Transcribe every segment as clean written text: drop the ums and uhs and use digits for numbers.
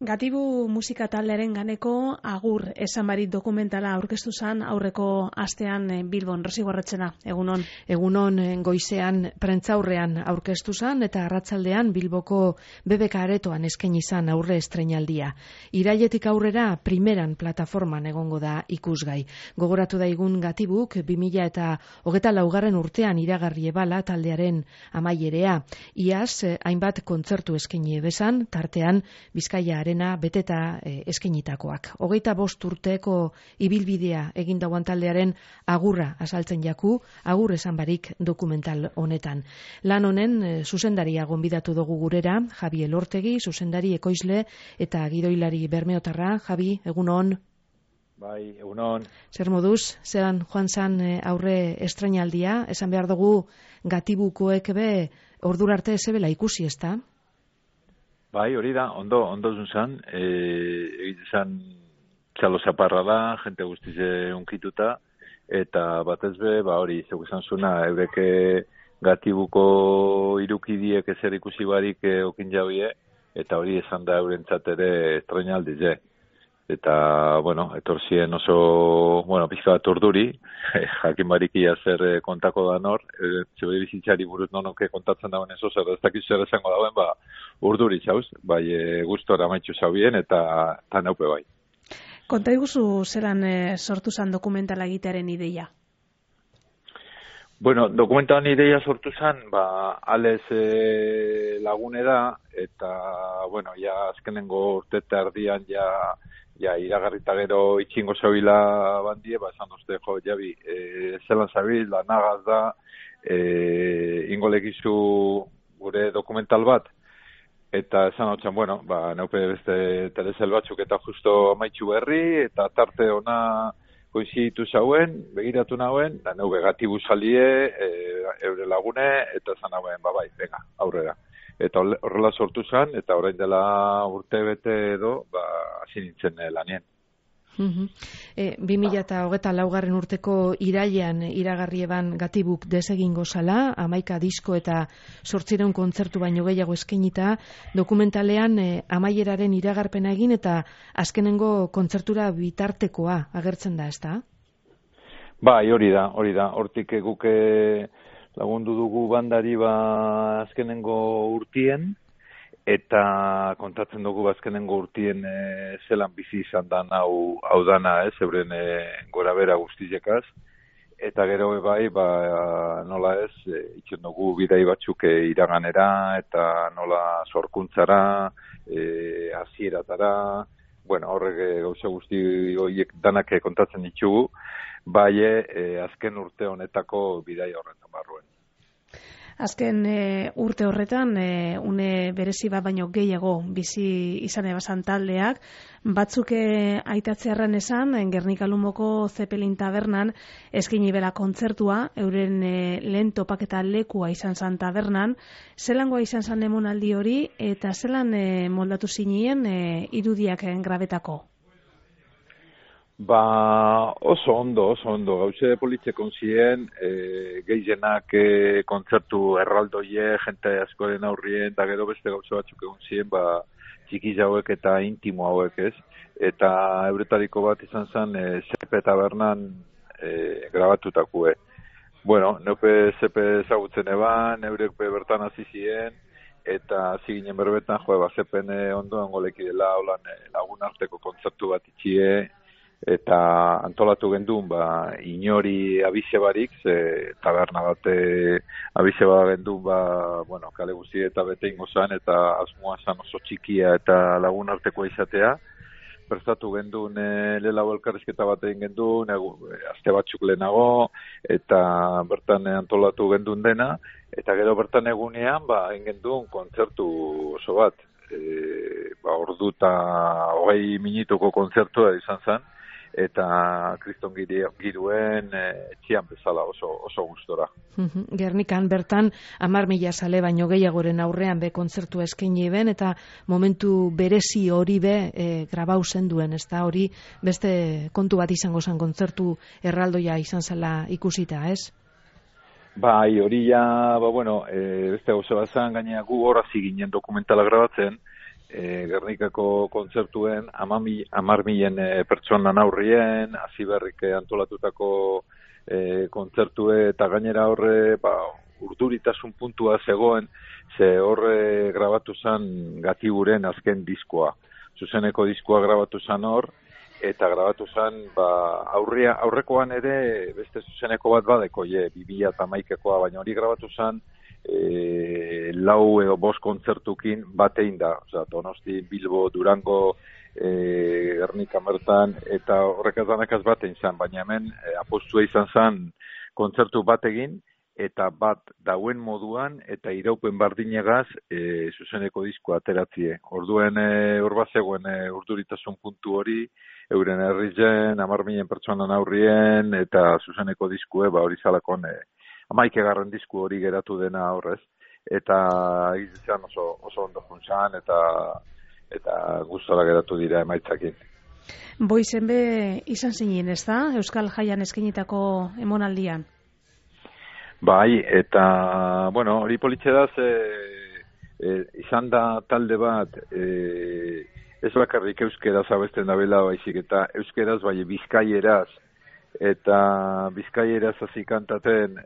Gatibu musika taldearen ganeko agur esan barik dokumentala aurkeztu zen aurreko astean Bilbon. Rosi Gorretxena, egunon. Egunon goizean prentzaurrean aurkeztu zen eta arratsaldean Bilboko BBK Aretoan eskaini izan aurre estreinaldia. Irailetik aurrera primeran plataforman egongo da ikusgai. Gogoratu daigun Gatibuk 2024 urtean iragarri ebala taldearen amaierea. Iaz hainbat kontzertu eskaini bezan, tartean Bizkaia Arena beteta eskainitakoak. 25 urteko ibilbidea egin dauan taldearen agurra azaltzen jaku, agur esan barik dokumental honetan. Lan honen zuzendaria gonbidatu dugu gurera, Javi Elortegi, zuzendari ekoizle eta gidoilari bermeotarra. Javi, egunon. Bai, egunon. Zer moduz, zeran joan zan aurre estrainaldia, esan behar dugu Gatibukoek be ordura arte zebela ikusi, ezta? Bai, hori da, ondo zunzan, egiten zan txalo zaparra da, jente guztize unkituta, eta batez be, hori, zeu esan zuna, eureke Gatibuko irukidiek ezer ikusi barik okin jauie, eta hori esan da eurentzat ere estrainaldize. Eta, etorzien oso, pixka bat urduri, jakin barikia zer kontako da nor, zebe bizitzari buruz nonoke kontatzen dauen ez oso, ez dakizu zer esango dauen, urduri zauz, bai gustora maitxu zaubien eta naupe bai. Konta iguzu zelan sortu zan dokumentala egitearen ideia? Dokumentalen ideia sortu zan, Ales lagune da, eta, ja azkenengo urte eta erdian iragarrita gero itxingo zabila bandie, esan dozte, Javi, zelan zabil, lanagaz da, ingolekizu gure dokumental bat, eta esan hau txan, neupe beste telezel batzuk eta justo amaitxu berri, eta tarte ona koiziditu zauen, begiratu nauen, da neu Gatibu salie, eure lagune, eta esan nauen, venga, aurrera. Eta horrela sortu zen, eta orain dela urte bete edo, hasi nintzen lanien. 2024 urteko irailean iragarri eban Gatibuk desegingo zala, 11 disko eta 800 kontzertu baino gehiago eskainita, dokumentalean amaieraren iragarpena egin eta azkenengo kontzertura bitartekoa agertzen da, ezta? Bai, hori da. Hortik guke lagundu dugu bandari azkenengo urtien, eta kontatzen dugu azkenengo urtien zelan bizi izan da hau dana, euren gora bera guztizekaz, eta gero bai, nola ez, itxen dugu bidai batzuk iraganera, eta nola sorkuntzara, hasieratara, horrek gauza guzti horiek danak kontatzen ditugu, bai azken urte honetako bidai horretan barruen. Azken urte horretan, une berezi bat baino gehiago bizi izan ebazan taldeak, batzuk aitatzearren esan, Gernika Lumoko Zeppelin tabernan eskaini bela kontzertua, euren lehen topaketa lekua izan zan tabernan, zelangoa izan zan emonaldi hori, eta zelan moldatu zinien irudiak grabetako? Oso ondo, gauze politzekon ziren, gehienak kontzertu erraldoie, jente askoren aurrien, eta gero beste gauze batzuk egon ziren, txikiz hauek eta intimo hauek ez, eta euretariko bat izan zen, Zepe tabernan grabatutako. Neupe Zepe ezagutzen eban, eurek bertan hasi ziren, eta hasi ginen berbetan, Zepen ondoan goleki dela, lagun arteko kontzertu bat itxie, eta antolatu gendun inori abize barik, taberna bate abize bat gendun kale guzti eta bete ingo zan, eta asmoa zan oso txikia eta lagun artekoa izatea. Prestatu gendun lehenago elkarrizketa bat egin gendun, aste batzuk lehenago, eta bertan antolatu gendun dena, eta gero bertan egunean egin gendun kontzertu oso bat. Ordu eta 20 minutuko kontzertua izan zen, eta kriston giruen etxian bezala oso gustora. Gernikan bertan 10.000 zale baino gehiagoren aurrean be kontzertu eskaini ben, eta momentu berezi hori be grabau zenduen, ez da hori beste kontu bat izango zen kontzertu erraldoia izan zela ikusita, ez? Bai, hori ja, beste gauza bat zen, gainera gu hor hasi ginen dokumentala grabatzen, Gernikako kontzertuen 10.000 pertsonan aurrien, Aziberrik antolatutako kontzertue eta gainera horre urduritasun puntua zegoen, ze horre grabatu zen Gatiburen azken diskoa. Zuzeneko diskoa grabatu zen hor, eta grabatu zen aurrekoan ere beste zuzeneko bat badeko, 2011koa, baina hori grabatu zen 4 edo 5 kontzertukin batein da. Osea, Donosti, Bilbo, Durango, Gernika bertan, eta horrek azanakaz batein zen, baina hemen apostua izan zen kontzertu bat egin, eta bat dauen moduan, eta iraupen bardinegaz zuzeneko diskoa ateratzie. Orduen hor bat zegoen urduritasun puntu hori, euren herrizen, 10.000 pertsonan aurrien, eta zuzeneko diskue, hori zalakon 11. disku hori geratu dena horrez, eta izan oso ondo juntzan, eta gustora geratu dira emaitzakin. Boizen be izan zinen, ez da? Euskal Jaian eskenitako emonaldian? Bai, eta, hori politxedaz, izan da talde bat, ez bakarrik euskeraz abesten dabela baizik, eta euskeraz bai bizkaieraz, eta bizkaieraz hasi kantaten,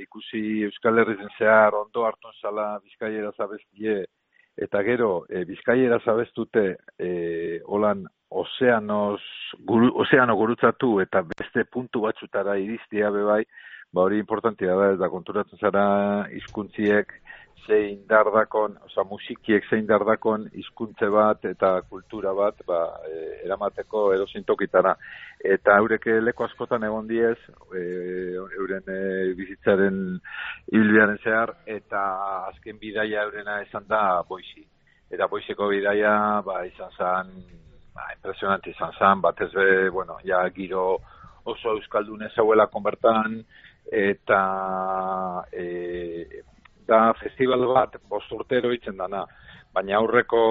ikusi Euskal Herrizen zehar ondo hartun zala bizkaieraz abestie, eta gero bizkaieraz abestute holan ozeano gurutzatu eta beste puntu batzutara iristia bebai, hori importantia da, eta konturatzen zara hizkuntziek zein dardakon, musikiek zein dardakon hizkuntze bat eta kultura bat eramateko edozintokitara. Eta eurek leku askotan egon diez, euren bizitzaren ibilbidearen zehar, eta azken bidaia eurena izan da Boisi. Eta Boiseko bidaia izan zen, impresionante izan zen, batez be, giro oso euskaldun ezauela konbertan, eta da festival bat 5 urtero itzen dana, baina aurreko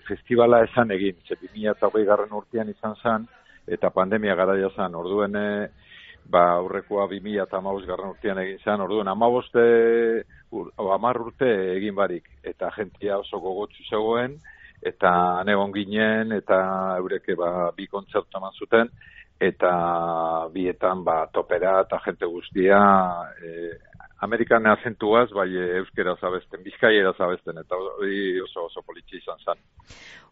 festivala esan egin, 2020 urtean izan zen, eta pandemia garaia zen, orduen aurrekoa 2015 urtean egin zen, orduen 10 urte egin barik, eta jentia oso gogotsu zegoen, eta anegon ginen, eta eureke 2 kontzertu eman zuten, eta bietan topera eta jente guztia Amerikan azentuaz, euskeraz abesten, bizkaieraz abesten, eta hori oso politxe izan zen.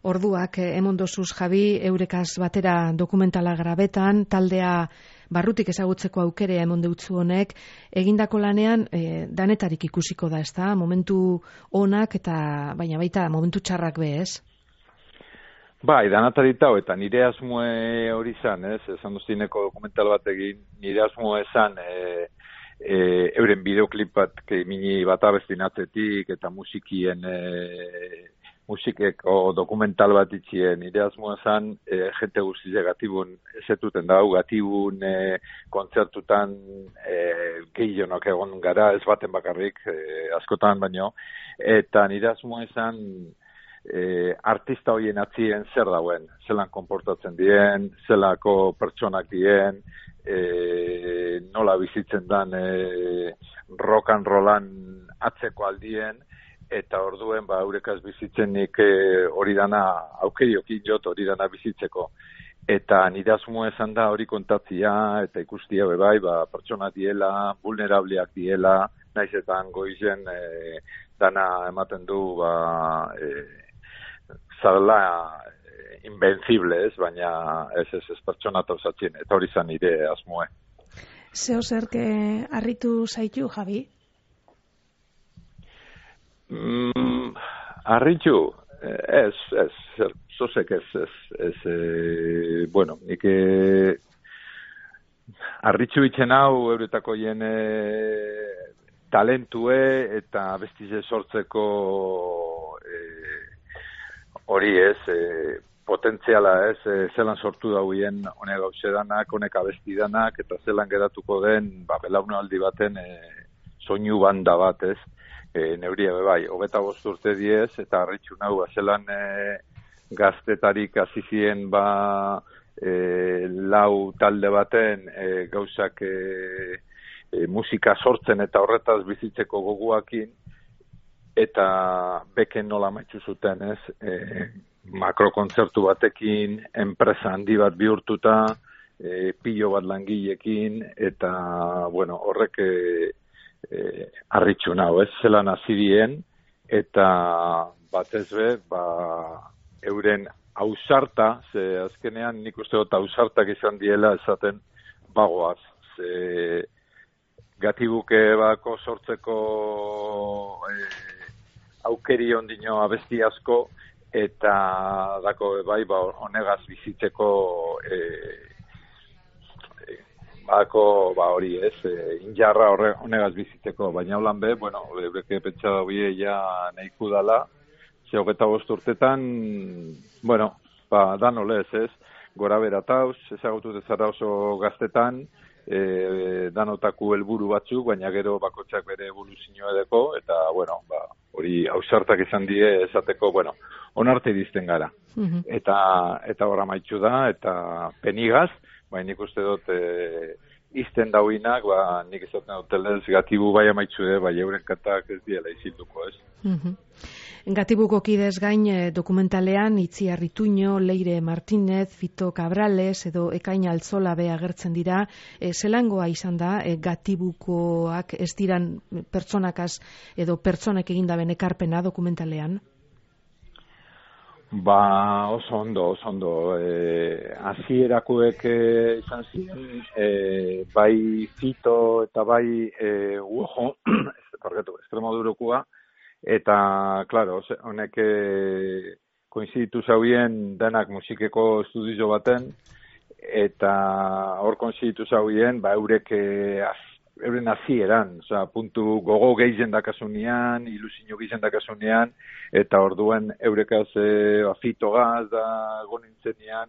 Orduak emondozuz, Javi, eurekaz batera dokumentala grabetan, taldea barrutik ezagutzeko aukere emondeutzu honek, egindako lanean danetarik ikusiko da, ezta? Momentu onak eta baina baita momentu txarrak be, ez? Bai, danatarita eta nire asmoe hori zan, ez? Esan duztineko dokumental bat egin, nire asmoe zan euren bideoklip bat mini bat abestin atzetik eta musikeko dokumental bat itxien. Nire asmoa zan, jente guztize Gatibun ezetuten dau, Gatibun kontzertutan gehionok egon gara, ez baten bakarrik, askotan baino, eta nire asmoa zan, artista horien atzien zer dauen, zelan konportatzen dien, zelako pertsonak dien, nola bizitzen dan rock and rollan atzeko aldien, eta orduen eurekaz bizitzenik hori dana aukeriokin jot hori dana bizitzeko. Eta nire asmoa esan da hori kontatzia eta ikustia bebai, pertsona diela, vulnerableak diela, naizetan goizen dana ematen du zarela invencible, ez, baina ez pertsona tauzatzen, eta hori zan nire asmoe. Zeo zerke harritu zaitu, Javi? Harritu? Ez, zozek ez, nik harritu itzen hau euretako jene talentue eta bestize sortzeko hori ez, potentziala ez, zelan sortu dauien honek gauzedanak, honek abestidanak, eta zelan geratuko den, belaunaldi baten soinu banda bat ez, neuria bebai, 25 urte diez, eta harritxu nahu, zelan gaztetarik azizien lau talde baten gauzak musika sortzen eta horretaz bizitzeko goguakin, eta beken nola maitzu zuten, ez? Makrokontzertu batekin, enpresa handi bat bihurtuta, pilo bat langileekin, eta, bueno, horrek harritxu nau, ez? Zelan hasi dien, eta batez be, euren ausarta, ze azkenean nik uste dut ausartak izan diela esaten bagoaz, ze Gatibuke bako sortzeko aukeri ondino abesti asko, eta dako bai honegaz bizitzeko hori ez, injarra honegaz bizitzeko, baina holan be, bueno, eureke pentsa daue ja nahiku dala, ze 25 urtetan, bueno, dan olez ez, gora beratauz, ezagutu dezara oso gaztetan, danotaku helburu batzuk, baina gero bakotxak bere evoluzioa edeko, eta, bueno, hori ausartak izan die esateko, bueno, onarte dizten gara. Eta horra maitxu da, eta penigaz, baina nik uste dut izten dauinak, nik ezaten dutelez, Gatibu bai amaitxu bai euren kantak ez diela izilduko, ez? Gatibuko kidez gain dokumentalean Itziar Ituño, Leire Martínez, Fito Cabrales edo Ekain Altzola be agertzen dira. Zelangoa izan da Gatibukoak ez diran pertsonakaz edo pertsonek egindaben ekarpena dokumentalean? Oso ondo. Hasierakoek izan ziren, bai Fito eta bai Uojo, Extremadurukua, eta, klaro, honek koinziditu zauen denak musikeko estudio baten, eta hor koinziditu zauen, euren hasieran, puntu gogo gehien dakasunean, ilusio gehien dakasunean, eta orduen eurekaz Fitogaz da gonintzenean,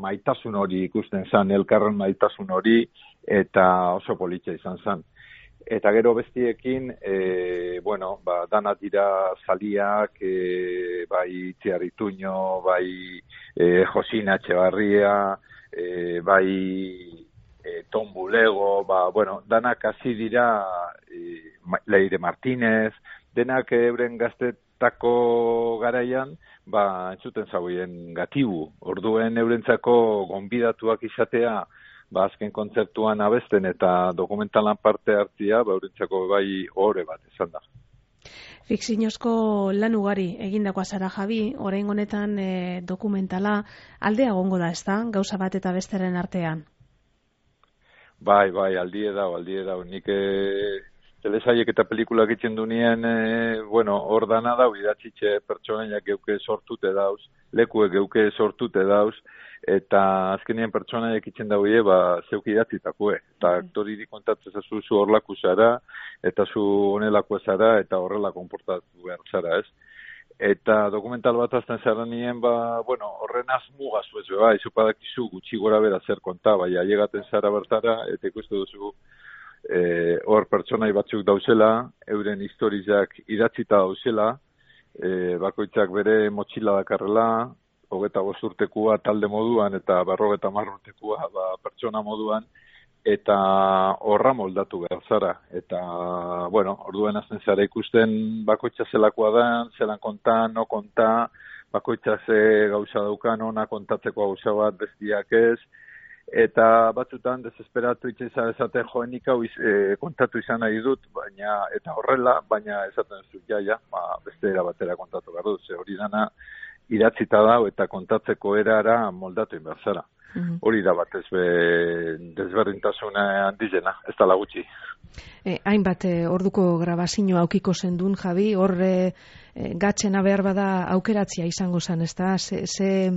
maitasun hori ikusten zan, elkarren maitasun hori, eta oso politxa izan zan. Eta gero bestiekin, dana dira zaliak, bai Itziar Ituño, bai Josina Etxebarria, bai Tom Bulego, danak hasi dira Leire Martínez, denak euren gaztetako garaian, entzuten zauen Gatibu, orduen eurentzako gonbidatuak izatea, azken kontzertuan abesten eta dokumentalan parte hartzia, eurentzako bai ohore bat izan da. Fikziozko lan ugari egindakoa zara, Javi, orain honetan dokumentala aldea egongo da, ezta? Gauza bat eta besteren artean. Bai, aldie dau. Nik telesaiek eta pelikulak itzen dunien, hor dana dau, idatzitxe pertsonaiak geuke sortute dauz, lekuek geuke sortute dauz, eta azkenien pertsonaiak itzen dauie, zeuk idatzitakue. Eta aktoriri kontatzen zazu zu horlaku zara, eta zu honelako zara, eta horrela konportatu behar zara, ez? Eta dokumental bat azten zara nien, horren azmugazu ez, izupadakizu gutxi gora bera zer konta, ailegaten zara bertara, eta ikustu duzu hor pertsonai batzuk dauzela, euren historizak idatzita dauzela, bakoitzak bere motxila dakarrela, 25 urtekua talde moduan eta 50 urtekua pertsona moduan, eta horra moldatu behar zara. Eta, orduen azten zara ikusten bakoitza zelakoa da, zelan konta, no konta, bakoitza ze gauza daukan, ona kontatzeko gauza bat bestiak ez, eta batzutan desesperatu itxeza esaten joenik hau kontatu izan nahi dut, eta horrela, baina esaten zut beste era batera kontatu behar dut, ze hori dana idatzita dau eta kontatzeko erara moldatu behar zara. Hori da batez desberdintasuna handizena, ez da lagutxi. Hainbat orduko grabazio aukiko zendun, Javi, hor gatzena behar bada aukeratzia izango zen, ez da? Ze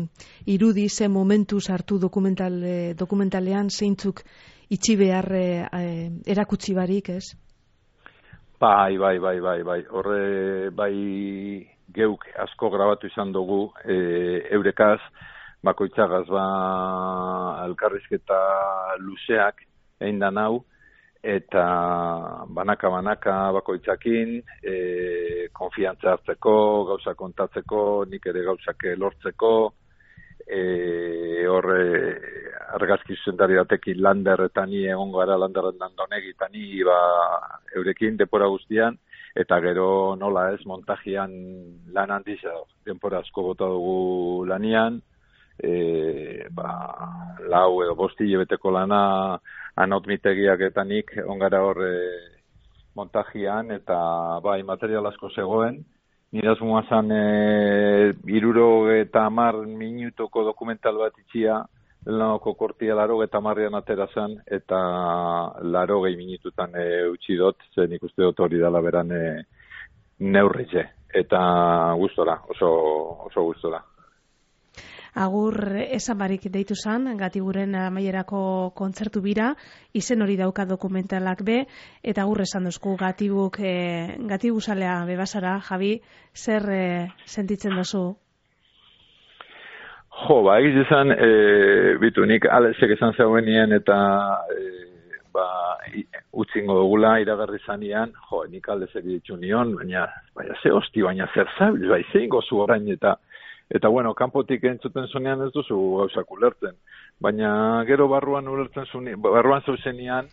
irudi, ze momentu sartu dokumentalean, zeintzuk itxi behar erakutsi barik, ez? Bai. Horre, bai geuk asko grabatu izan dugu eurekaz, bakoitzagaz elkarrizketa luzeak egin da nau, eta banaka bakoitzakin, konfiantza hartzeko, gauza kontatzeko, nik ere gauzak lortzeko, argazki zuzendari batekin Lander eta ni egon gara, Landerren Dandonegi eta ni eurekin depora guztian, eta gero nola ez, montajian lan handiz, denpora asko bota dugu lanian, 4 edo 5 hilabeteko lana anautmitegiak eta nik ongara hor montajian, eta bai, material asko zegoen. Nire asmoa zan 70 minutuko dokumental bat itxia, lanoko kortia 80an atera zen, eta 80 minututan utzi dut, zen ikuste dut hori dela beran neurritze. Eta gustora, oso gustora. Agur esan barik deitu zan, Gatiburen amaierako kontzertu bira, izen hori dauka dokumentalak be, eta agur esan duzku Gatibu zalea bebasara, Javi, zer sentitzen duzu? Egiz esan, bitu, nik Alexek esan zeuenien eta utzingo dugula iragarri zanean, nik Alexek ditu nion, baina ze hosti, baina zer zabil, zein gozu orain eta bueno, kanpotik entzuten zunean ez duzu gauzak ulertzen, baina gero barruan zeuzenean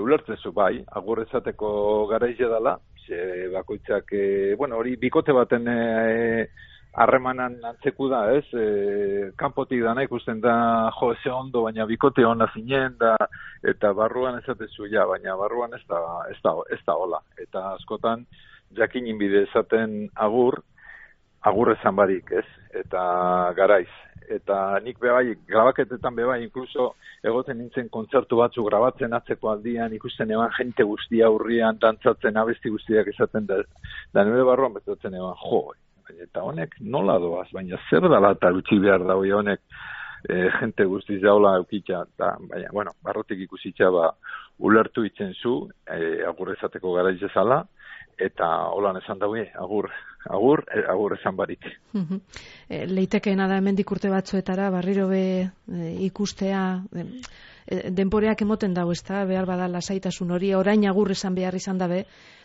ulertzen zu bai, agur ezateko garaize dela, bakoitzak, hori bikote baten harremanan antzeku da, ez? Kanpotik dana ikusten da, ze ondo, baina bikote ona zinen da, eta barruan ezatezu, baina barruan ez da hola. Eta askotan, jakinin bide esaten agur ezan barik, ez? Eta garaiz. Eta nik bebai, grabaketetan bebai, inkluso egoten nintzen kontzertu batzu grabatzen atzeko aldian, ikusten eban jente guztia aurrian, dantzatzen abesti guztiak esaten da nire barruan betatzen eban, eta honek nola doaz, baina zer dala eta utzi behar da honek jente guztiz daula eukitza, baina, barrotik ikusitza ulertu itzen zu, agur ezateko garaiz ezala, eta holan esan daue, agur esan barik. Leitekeena da hemendik urte batzuetara, barriro be ikustea, denporeak emoten dago, ezta, behar bada lasaitasun hori, orain agur esan behar izan dabe,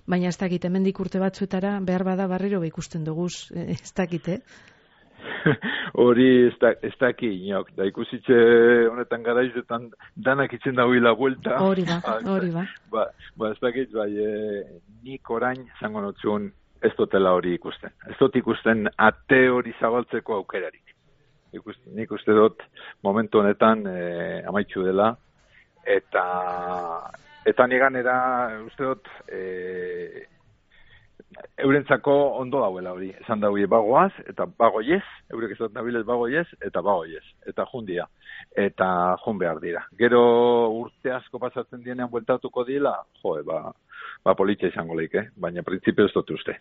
baina ez dakit, hemendik urte batzuetara, behar bada barriro be ikusten duguz, ez dakit, Hori ez daki inok, da ikusitxe honetan garaizetan danak itzen dagoela buelta. Hori ba. Ez dakit, nik orain zango notzun ez dutela hori ikusten. Ez dut ikusten ate hori zabaltzeko aukerarik. Nik uste dut momentu honetan amaitxu dela, eta niganera uste dut eurentzako ondo dauela hori, esan daue bagoaz, eta bagoiez, eurek ez dut nabilez bagoiez, eta bagoiez, eta jundia, eta jun behar dira. Gero urte asko pasatzen dienean bueltatuko dila, politxa izango leike, baina printzipio ez dut uste.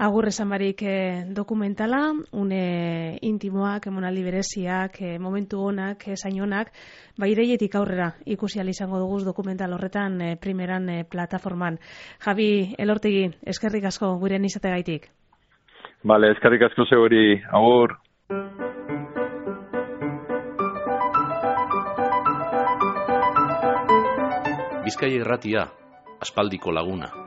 Agur esan barik dokumentala, une intimoak, emonaldi bereziak, momentu honak, zain honak, ireietik aurrera ikusi izango duguz dokumental horretan primeran plataforman. Javi Elortegi, eskerrik asko gurean izategaitik. Bale, eskerrik asko zeuri, agur. Bizkaia Irratia, aspaldiko laguna.